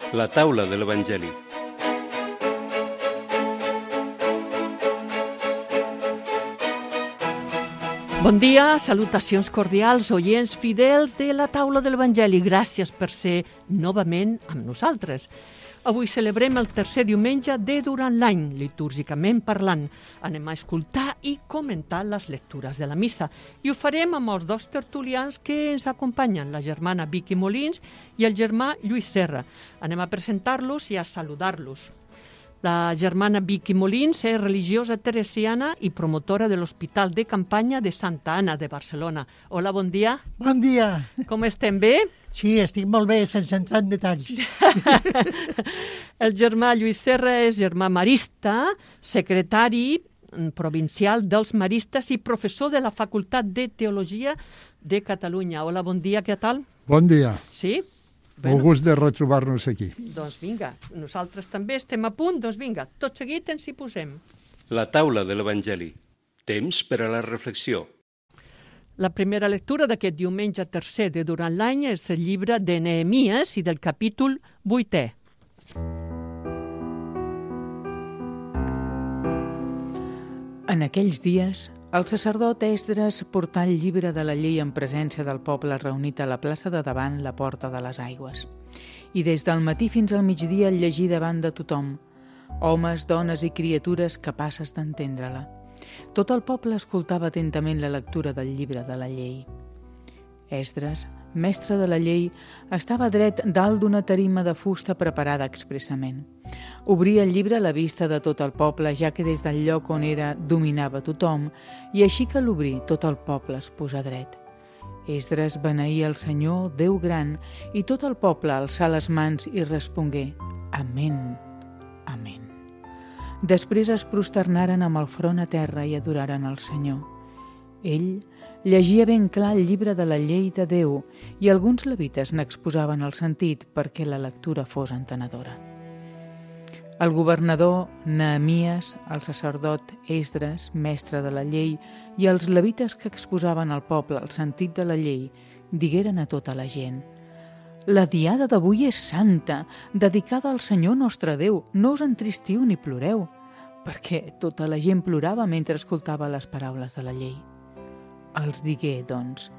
La taula de l'Evangeli. Bon dia, salutacions cordials, oients fidels de la taula de l'Evangeli. Gràcies per ser novament amb nosaltres. Avui celebrem el tercer diumenge de durant l'any, litúrgicament parlant. Anem a escoltar i comentar les lectures de la missa. I ho farem amb els dos tertulians que ens acompanyen, la germana Vicky Molins i el germà Lluís Serra. Anem a presentar-los i a saludar-los. La germana Vicky Molins és religiosa teresiana i promotora de l'Hospital de Campanya de Santa Anna de Barcelona. Hola, bon dia. Bon dia. Com estem, bé? Sí, estic molt bé, sense entrar en detalls. El germà Lluís Serra és germà marista, secretari provincial dels maristes i professor de la Facultat de Teologia de Catalunya. Hola, bon dia, què tal? Bon dia. Sí? Molt gust de retrobar-nos aquí. Doncs vinga, nosaltres també estem a punt, doncs vinga, tot seguit ens hi posem. La taula de l'Evangeli. Temps per a la reflexió. La primera lectura d'aquest diumenge tercer de durant l'any és el llibre de Nehemies i del capítol 8è. En aquells dies, el sacerdot Esdres portà el llibre de la llei en presència del poble reunit a la plaça de davant la Porta de les Aigües. I des del matí fins al migdia el llegí davant de tothom, homes, dones i criatures capaces d'entendre-la. Tot el poble escoltava atentament la lectura del llibre de la llei. Esdres, mestre de la llei, estava dret dalt d'una tarima de fusta preparada expressament. Obria el llibre a la vista de tot el poble, ja que des del lloc on era dominava tothom, i així que l'obrí tot el poble es posà dret. Esdres beneïa el Senyor, Déu gran, i tot el poble alçà les mans i respongué: Amén, amén. Després es prosternaren amb el front a terra i adoraren el Senyor. Ell llegia ben clar el llibre de la llei de Déu i alguns levites n'exposaven el sentit perquè la lectura fos entenedora. El governador Nehemies, el sacerdot Esdres, mestre de la llei, i els levites que exposaven al poble el sentit de la llei, digueren a tota la gent: La diada d'avui és santa, dedicada al Senyor nostre Déu. No us entristiu ni ploreu, perquè tota la gent plorava mentre escoltava les paraules de la llei. Els digué, doncs: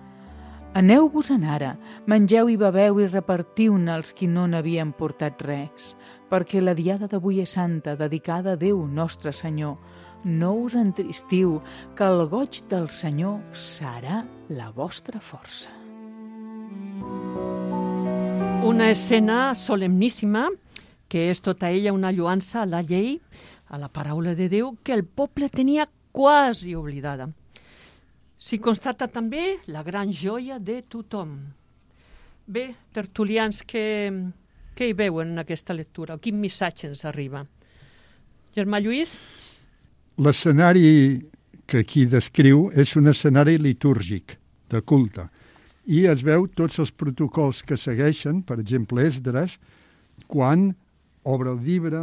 Aneu-vos-en ara, mengeu i beveu i repartiu-ne als qui no n'havien portat res, perquè la diada d'avui és santa, dedicada a Déu nostre Senyor. No us entristiu, que el goig del Senyor serà la vostra força. Una escena solemníssima, que és tota ella una lloança a la llei, a la paraula de Déu, que el poble tenia quasi oblidada. S'hi constata també la gran joia de tothom. Bé, tertulians, què hi veuen en aquesta lectura? Quin missatge ens arriba? Germà Lluís? L'escenari que aquí descriu és un escenari litúrgic, de culte, i es veu tots els protocols que segueixen, per exemple, Esdres, quan obre el llibre,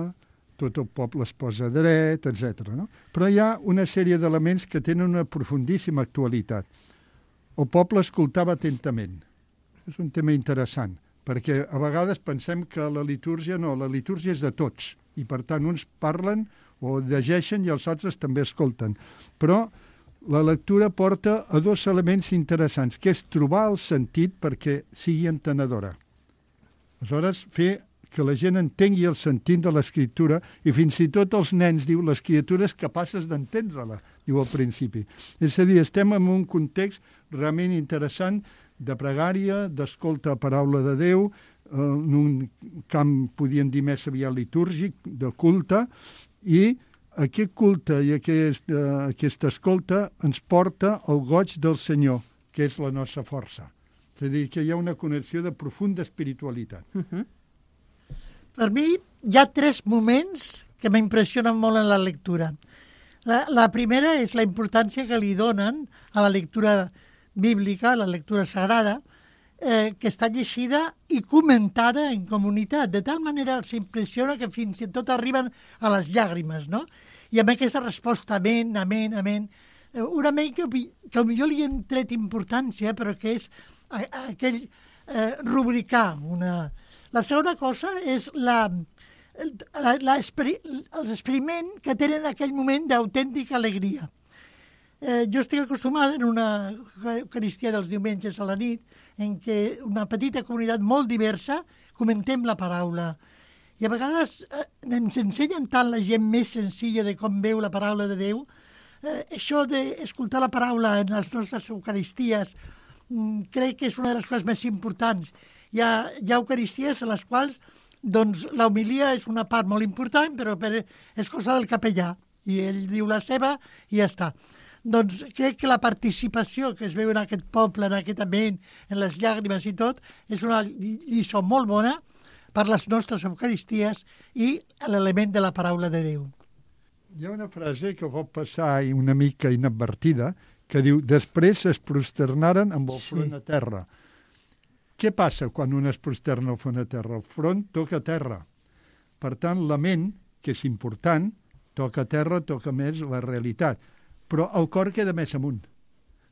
tot el poble es posa dret, etc. No? Però hi ha una sèrie d'elements que tenen una profundíssima actualitat. El poble escoltava atentament. És un tema interessant, perquè a vegades pensem que la litúrgia és de tots, i per tant uns parlen o llegeixen i els altres també escolten. Però la lectura porta a dos elements interessants, que és trobar el sentit perquè sigui entenedora. Aleshores, fer que la gent entengui el sentit de l'escriptura i fins i tot els nens, diu, les criatures capaces d'entendre-la, diu al principi. És a dir, estem en un context realment interessant de pregària, d'escolta a paraula de Déu, en un camp, podríem dir, més aviat litúrgic, de culte, i aquest culte i aquesta escolta ens porta al goig del Senyor, que és la nostra força. És a dir, que hi ha una connexió de profunda espiritualitat. Per mi hi ha 3 moments que m'impressionen molt en la lectura. La primera és la importància que li donen a la lectura bíblica, a la lectura sagrada, que està llegida i comentada en comunitat. De tal manera s'impressiona que fins i tot arriben a les llàgrimes, no? I amb aquesta resposta, amén, amén, amén, un amén que potser li hem tret importància, però que és aquell rubricar La segona cosa és els experiments que tenen en aquell moment d'autèntica alegria. Jo estic acostumada en una eucaristia dels diumenges a la nit en què una petita comunitat molt diversa comentem la paraula. I a vegades ens ensenyen tant la gent més senzilla de com veu la paraula de Déu. Això d'escoltar la paraula en les nostres eucaristies crec que és una de les coses més importants. Hi ha eucaristies en les quals doncs, l'homilia és una part molt important, però és cosa del capellà. I ell diu la seva i ja està. Doncs crec que la participació que es veu en aquest poble, en aquest ambient, en les llàgrimes i tot, és una lliçó molt bona per les nostres eucaristies i l'element de la paraula de Déu. Hi ha una frase que pot passar una mica inadvertida, que diu, després es prosternaren amb el front a terra. Què passa quan un es prosterna al front a terra? El front toca terra. Per tant, la ment, que és important, toca terra, toca més la realitat. Però el cor queda més amunt.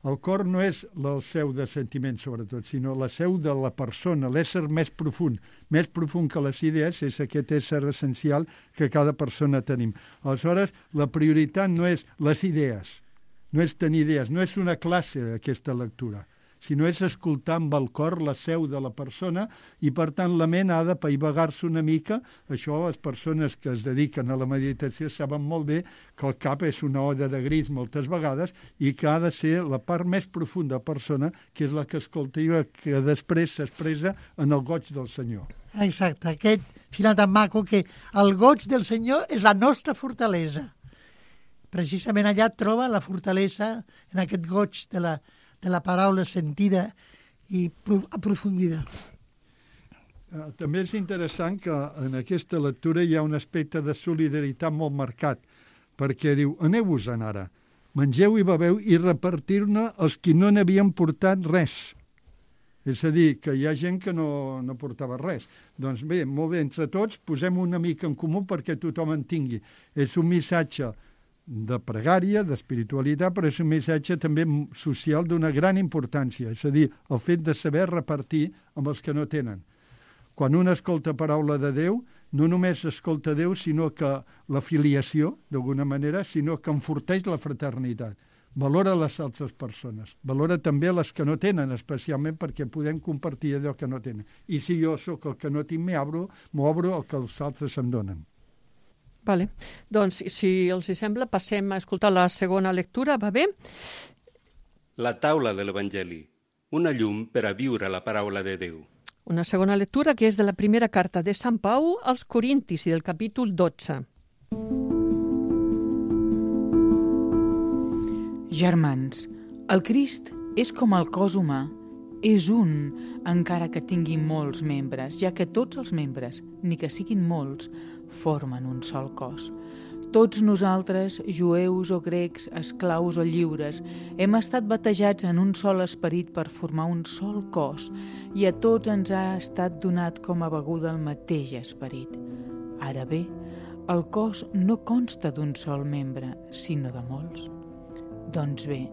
El cor no és la seu de sentiments, sobretot, sinó la seu de la persona, l'ésser més profund que les idees, és aquest ésser essencial que cada persona tenim. Aleshores, la prioritat no és les idees, no és tenir idees, no és una classe aquesta lectura, sinó és escoltar amb el cor la seu de la persona i, per tant, la ment ha de paivagar-se una mica. Això les persones que es dediquen a la meditació saben molt bé que el cap és una oda de gris moltes vegades i que ha de ser la part més profunda persona, que és la que escolta i que després s'expressa en el goig del Senyor. Exacte, aquest final tan maco que el goig del Senyor és la nostra fortalesa. Precisament allà troba la fortalesa en aquest goig de la paraula sentida i aprofundida. També és interessant que en aquesta lectura hi ha un aspecte de solidaritat molt marcat, perquè diu, aneu-vos-en ara, mengeu i beveu i repartir-ne els qui no n'havien portat res. És a dir, que hi ha gent que no portava res. Doncs bé, molt bé, entre tots posem una mica en comú perquè tothom en tingui. És un missatge de pregària, d'espiritualitat, però és un missatge també social d'una gran importància, és a dir, el fet de saber repartir amb els que no tenen. Quan un escolta paraula de Déu, no només escolta Déu, sinó que la filiació, d'alguna manera, sinó que enforteix la fraternitat. Valora les altres persones, valora també les que no tenen, especialment perquè podem compartir allò que no tenen. I si jo sóc el que no tinc, m'obro el que els altres em donen. Vale. Doncs, si els sembla, passem a escoltar la segona lectura, va bé? La taula de l'Evangeli, una llum per a viure la paraula de Déu. Una segona lectura que és de la primera carta de Sant Pau als Corintis i del capítol 12. Germans, el Crist és com el cos humà, és un, encara que tingui molts membres, ja que tots els membres, ni que siguin molts, formen un sol cos. Tots nosaltres, jueus o grecs, esclaus o lliures, hem estat batejats en un sol esperit per formar un sol cos i a tots ens ha estat donat com a beguda el mateix esperit. Ara bé, el cos no consta d'un sol membre, sinó de molts. Doncs bé,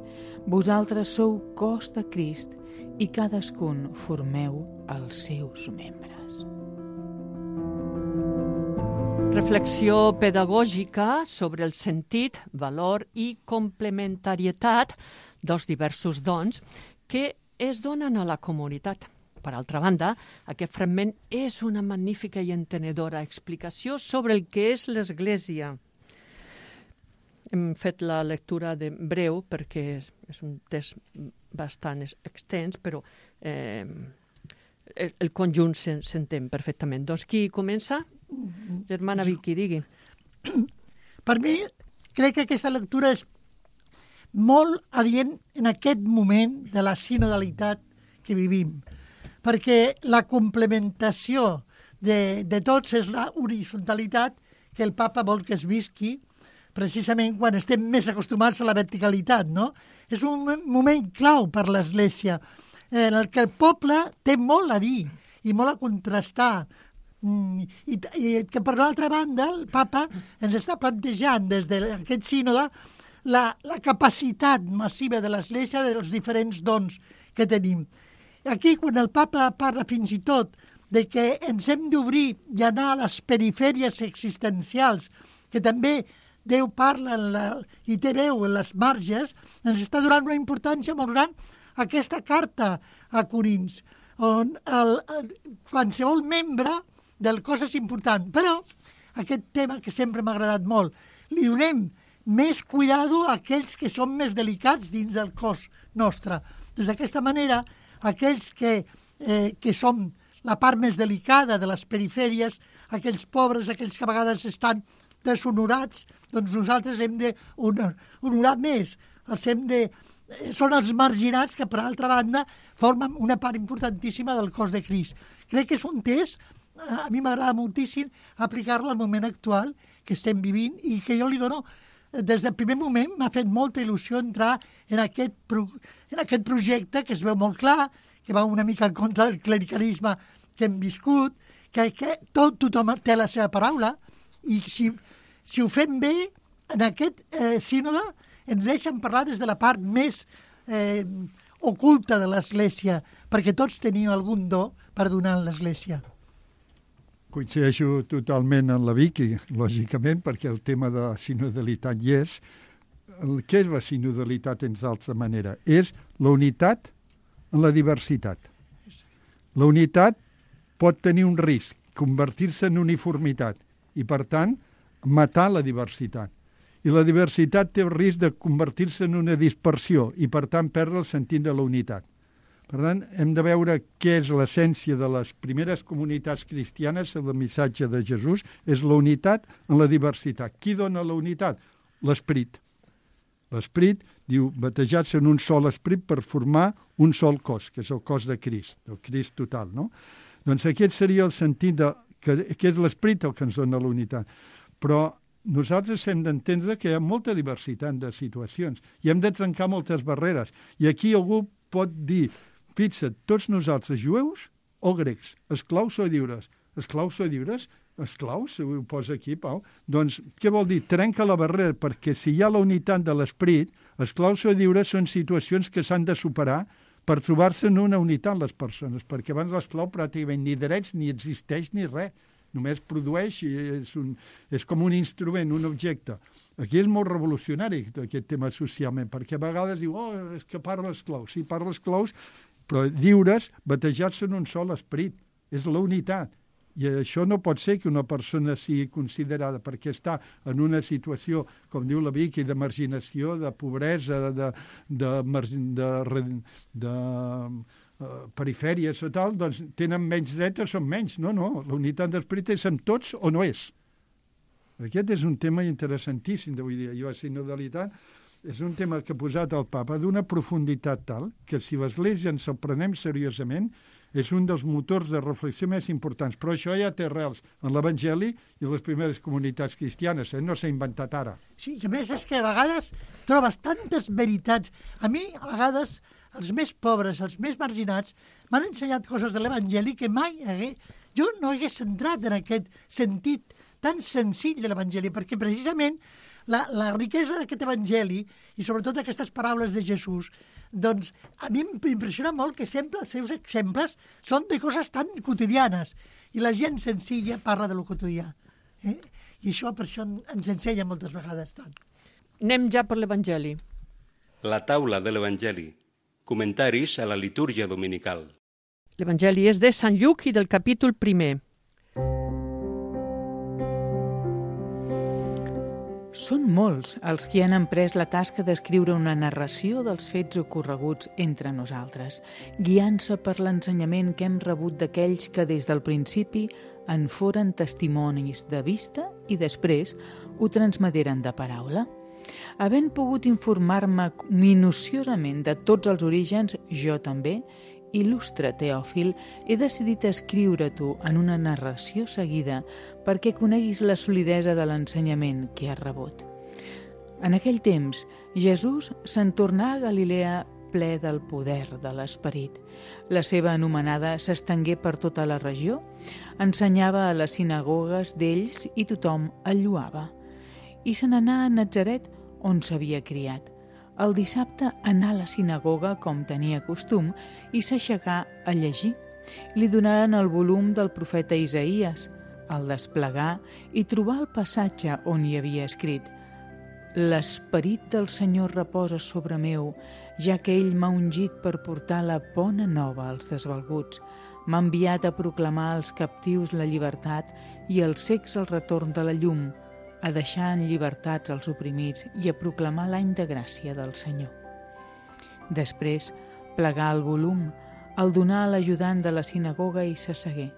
vosaltres sou cos de Crist i cadascun formeu els seus membres. Reflexió pedagògica sobre el sentit, valor i complementarietat dels diversos dons que es donen a la comunitat. Per altra banda, aquest fragment és una magnífica i entenedora explicació sobre el que és l'Església. Hem fet la lectura de breu perquè és un text bastant extens, però el conjunt s'entén perfectament. Doncs qui comença? Germana Vicky, digui. Per mi, crec que aquesta lectura és molt adient en aquest moment de la sinodalitat que vivim, perquè la complementació de tots és la horizontalitat que el papa vol que es visqui precisament quan estem més acostumats a la verticalitat, no? És un moment clau per l'Església en el que el poble té molt a dir i molt a contrastar. I que per l'altra banda el papa ens està plantejant des d'aquest sínode la capacitat massiva de l'Església dels diferents dons que tenim. Aquí, quan el papa parla fins i tot de que ens hem d'obrir i anar a les perifèries existencials, que també Déu parla i té veu en les marges, ens està donant una importància molt gran aquesta carta a Corins, on qualsevol membre del cos és important. Però aquest tema que sempre m'ha agradat molt, li donem més cuidado a aquells que són més delicats dins del cos nostre. Doncs d'aquesta manera, aquells que som la part més delicada de les perifèries, aquells pobres, aquells que a vegades estan deshonorats, doncs nosaltres hem d'honorar més. Són els marginats que, per altra banda, formen una part importantíssima del cos de Crist. Crec que és un test, a mi m'agrada moltíssim aplicar-lo al moment actual que estem vivint i que jo li dono, des del primer moment m'ha fet molta il·lusió entrar en aquest projecte que es veu molt clar, que va una mica en contra del clericalisme que hem viscut, que tothom té la seva paraula, i si ho fem bé, en aquest sínode ens deixen parlar des de la part més oculta de l'Església, perquè tots tenim algun do per donar a l'Església. Coincideixo totalment amb la Vicky, lògicament, perquè el tema de sinodalitat hi és. Què és la sinodalitat, en altra manera? És la unitat en la diversitat. La unitat pot tenir un risc, convertir-se en uniformitat, i, per tant, matar la diversitat. I la diversitat té el risc de convertir-se en una dispersió i, per tant, perdre el sentit de la unitat. Per tant, hem de veure què és l'essència de les primeres comunitats cristianes, el missatge de Jesús, és la unitat en la diversitat. Qui dona la unitat? L'Esperit. L'Esperit diu, batejats en un sol esperit per formar un sol cos, que és el cos de Crist, el Crist total, no? Doncs aquest seria el sentit que és l'Esperit el que ens dona la unitat. Però nosaltres hem d'entendre que hi ha molta diversitat de situacions i hem de trencar moltes barreres. I aquí algú pot dir, fixa't, tots nosaltres, jueus o grecs, esclaus o lliures? Esclaus o lliures? Esclaus, ho posa aquí, Pau. Doncs què vol dir? Trenca la barrera, perquè si hi ha la unitat de l'esperit, esclaus o lliures són situacions que s'han de superar per trobar-se en una unitat les persones, perquè abans l'esclau pràcticament ni drets ni existeix ni res, només produeix, és com un instrument, un objecte. Aquí és molt revolucionari aquest tema socialment, perquè a vegades diu, és que parla esclaus. Sí, parla esclaus, però lliures, batejats en un sol esperit. És la unitat. I això no pot ser que una persona sigui considerada perquè està en una situació, com diu la Vicky, de marginació, de pobresa, de perifèries o tal, doncs tenen menys drets o són menys. No, la unitat d'esperit és amb tots o no és. Aquest és un tema interessantíssim d'avui dia. I la sinodalitat és un tema que ha posat el papa d'una profunditat tal que si l'Església ens el prenem seriosament és un dels motors de reflexió més importants. Però això ja té arrels en l'Evangeli i les primeres comunitats cristianes. No s'ha inventat ara. Sí, i a més és que a vegades trobes tantes veritats. A mi, a vegades, els més pobres, els més marginats, m'han ensenyat coses de l'Evangeli que mai jo no hagués entrat en aquest sentit tan senzill de l'Evangeli, perquè precisament la riquesa d'aquest Evangeli i sobretot aquestes paraules de Jesús, doncs a mi m'impressiona molt que sempre els seus exemples són de coses tan quotidianes i la gent senzilla parla de lo quotidià. I això per això ens ensenya moltes vegades tant. Anem ja per l'Evangeli. La taula de l'Evangeli. Comentaris a la litúrgia dominical. L'Evangeli és de Sant Lluc i del capítol 1. Són molts els que han emprès la tasca d'escriure una narració dels fets ocorreguts entre nosaltres, guiant-se per l'ensenyament que hem rebut d'aquells que des del principi en foren testimonis de vista i després ho transmeteren de paraula. Havent pogut informar-me minuciosament de tots els orígens, jo també, il·lustre Teòfil, he decidit escriure-t'ho en una narració seguida perquè coneguis la solidesa de l'ensenyament que has rebut. En aquell temps, Jesús se'n tornà a Galilea ple del poder de l'Esperit. La seva anomenada s'estengué per tota la regió, ensenyava a les sinagogues d'ells i tothom el lloava. I se n'anà a Natzaret, on s'havia criat. El dissabte anà a la sinagoga com tenia costum i s'aixecà a llegir. Li donaran el volum del profeta Isaïes, el desplegar i trobar el passatge on hi havia escrit: «L'esperit del Senyor reposa sobre meu, ja que ell m'ha ungit per portar la bona nova als desvalguts. M'ha enviat a proclamar als captius la llibertat i als cecs el retorn de la llum, a deixar en llibertats els oprimits i a proclamar l'any de gràcia del Senyor». Després, plegar el volum, el donar a l'ajudant de la sinagoga i s'assegué.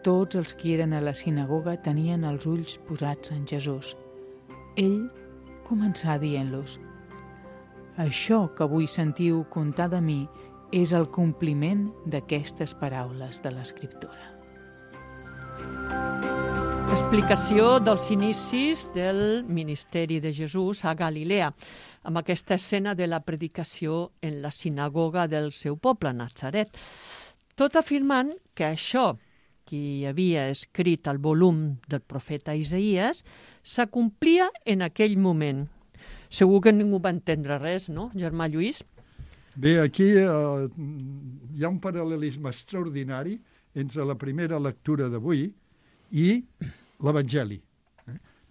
Tots els qui eren a la sinagoga tenien els ulls posats en Jesús. Ell començà dient-los: «Això que avui sentiu contar de mi és el compliment d'aquestes paraules de l'Escriptura». Explicació dels inicis del ministeri de Jesús a Galilea, amb aquesta escena de la predicació en la sinagoga del seu poble, Natzaret, tot afirmant que això que hi havia escrit al volum del profeta Isaïes s'acomplia en aquell moment. Segur que ningú va entendre res, no, germà Lluís? Bé, aquí hi ha un paral·lelisme extraordinari entre la primera lectura d'avui i l'Evangeli.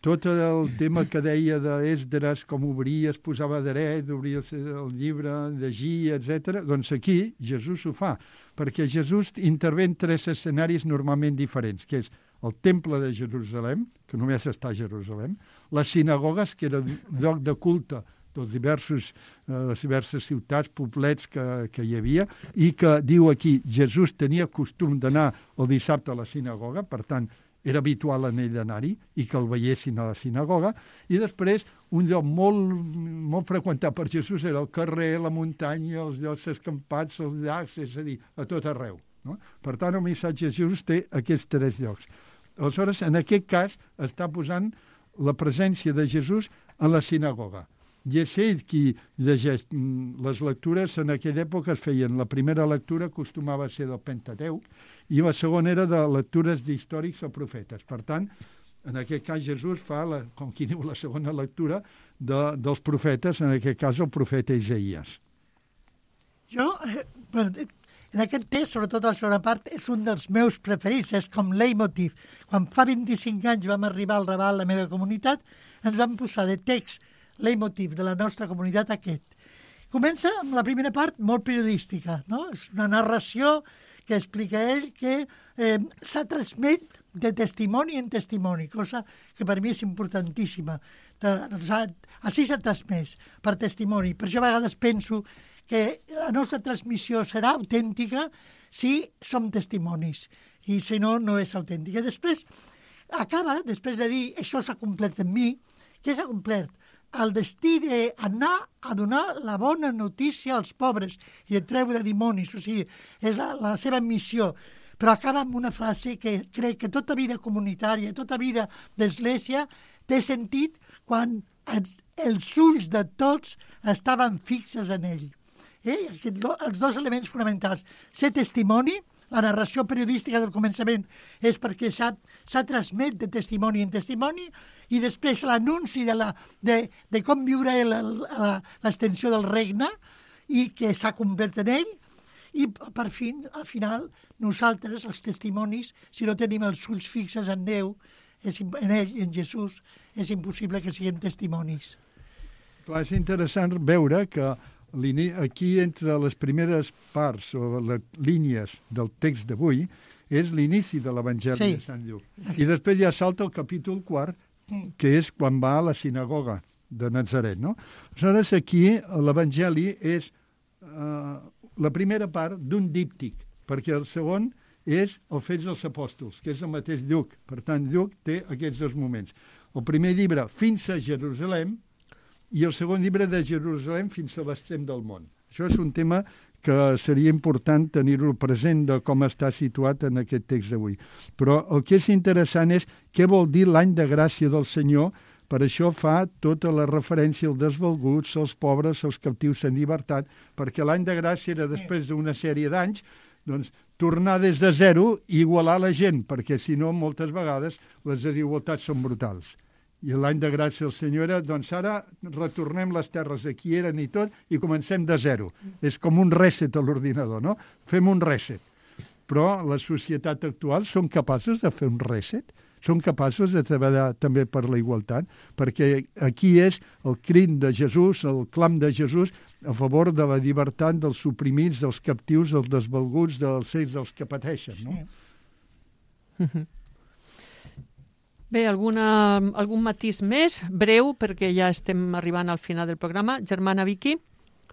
Tot el tema que deia d'Esdres, com obria, es posava dret, obria el llibre, llegia, etc. Doncs aquí Jesús ho fa, perquè Jesús intervé en 3 escenaris normalment diferents, que és el temple de Jerusalem, que només està a Jerusalem, les sinagogues, que era lloc de culte dels les diverses ciutats, poblets que hi havia, i que diu aquí, Jesús tenia costum d'anar el dissabte a la sinagoga, per tant, era habitual en ell d'anar-hi i que el veiessin a la sinagoga, i després un lloc molt freqüentat per Jesús era el carrer, la muntanya, els llocs escampats, els llacs, és a dir, a tot arreu. No? Per tant, el missatge de Jesús té aquests 3 llocs. Aleshores, en aquest cas, està posant la presència de Jesús a la sinagoga. I és ell qui llegeix. Les lectures en aquella època es feien. La primera lectura acostumava a ser del Pentateuc i la segona era de lectures d'històrics o profetes. Per tant, en aquest cas Jesús fa, com qui diu, la segona lectura dels profetes, en aquest cas el profeta Isaïes. Jo, en aquest text, sobretot la segona part, és un dels meus preferits, és com leitmotiv. Quan fa 25 anys vam arribar al Raval, la meva comunitat, ens vam posar de text leitmotiv de la nostra comunitat aquest. Comença amb la primera part molt periodística, no? És una narració que explica ell que s'ha transmet de testimoni en testimoni, cosa que per mi és importantíssima. Així s'ha transmès, per testimoni. Per això a vegades penso que la nostra transmissió serà autèntica si som testimonis, i si no, no és autèntica. Després acaba, després de dir això s'ha complert en mi, què s'ha complert? El destí d'anar a donar la bona notícia als pobres i de treure dimonis, o sigui, és la seva missió. Però acaba amb una frase que crec que tota vida comunitària, tota vida d'església té sentit quan els ulls de tots estaven fixes en ell. Els 2 elements fonamentals, ser testimoni, la narració periodística del començament és perquè s'ha transmet de testimoni en testimoni, i després l'anunci de com viure l'extensió del regne i que s'ha complert en ell, i per fi, al final, nosaltres, els testimonis, si no tenim els ulls fixes en Déu, en ell, en Jesús, és impossible que siguem testimonis. Clar, és interessant veure que aquí, entre les primeres parts o les línies del text d'avui, és l'inici de l'Evangeli de Sant Lluc. I després ja salta el capítol 4, que és quan va a la sinagoga de Natzaret, no? Aleshores, aquí l'Evangeli és la primera part d'un díptic, perquè el segon és el Fets dels Apòstols, que és el mateix Lluc. Per tant, Lluc té aquests 2 moments. El primer llibre, fins a Jerusalem, i el segon llibre, de Jerusalem fins a l'extrem del món. Això és un tema que seria important tenir-lo present de com està situat en aquest text d'avui. Però el que és interessant és què vol dir l'any de gràcia del Senyor. Per això fa tota la referència als desvalguts, als pobres, als captius en llibertat, perquè l'any de gràcia era després d'una sèrie d'anys, doncs tornar des de zero i igualar la gent, perquè si no, moltes vegades les desigualtats són brutals. I l'any de gràcia del Senyor era, doncs ara retornem les terres a qui eren i tot i comencem de zero. És com un reset a l'ordinador, no? Fem un reset. però la societat actual són capaços de fer un reset, són capaços de treballar també per la igualtat, perquè aquí és el crit de Jesús, el clam de Jesús a favor de la llibertat dels suprimits, dels captius, dels desvalguts, dels que pateixen, no? Bé, algun matís més, breu, perquè ja estem arribant al final del programa. Germana Vicky?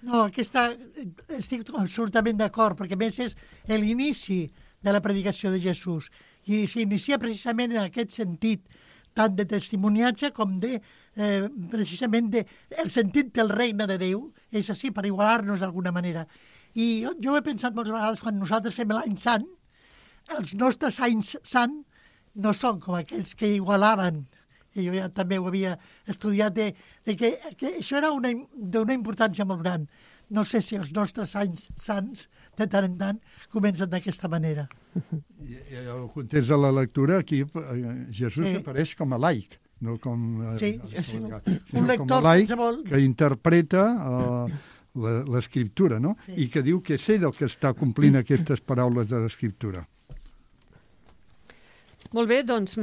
No, estic absolutament d'acord, perquè a més és l'inici de la predicació de Jesús. I s'inicia precisament en aquest sentit, tant de testimoniatge com de, precisament, el sentit del regne de Déu, és així, per igualar-nos d'alguna manera. I jo he pensat moltes vegades, quan nosaltres fem l'any sant, els nostres anys sant no són com aquells que igualaven, i jo ja també ho havia estudiat, que això era d'una importància molt gran. No sé si els nostres anys sants, de tant en tant, comencen d'aquesta manera. I el context de la lectura, aquí Jesús apareix com a laic, no com, un lector com a laic que interpreta l'escriptura, no? I que diu que és ell el que està complint aquestes paraules de l'escriptura. Molt bé, doncs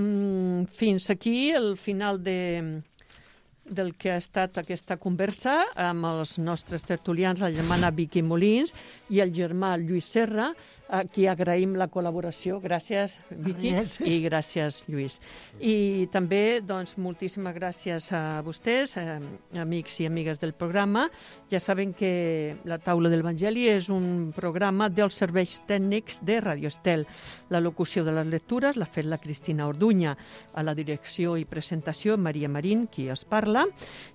fins aquí el final del que ha estat aquesta conversa amb els nostres tertulians, la germana Vicky Molins i el germà Lluís Serra, a qui agraïm la col·laboració. Gràcies, Vicky, i gràcies, Lluís. I també, doncs, moltíssimes gràcies a vostès, amics i amigues del programa. Ja saben que La Taula de l'Evangeli és un programa dels serveis tècnics de Radio Estel. La locució de les lectures l'ha fet la Cristina Orduña. A la direcció i presentació, Maria Marín, qui els parla.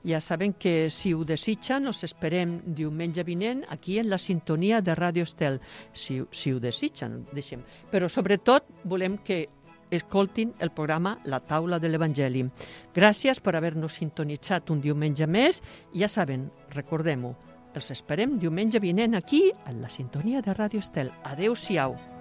Ja saben que, si ho desitgen, us esperem diumenge vinent aquí en la sintonia de Radio Estel. Si ho desitgen, deixem. Però, sobretot, volem que escoltin el programa La Taula de l'Evangeli. Gràcies per haver-nos sintonitzat un diumenge més. Ja saben, recordem-ho, els esperem diumenge vinent aquí, en la sintonia de Radio Estel. Adéu-siau.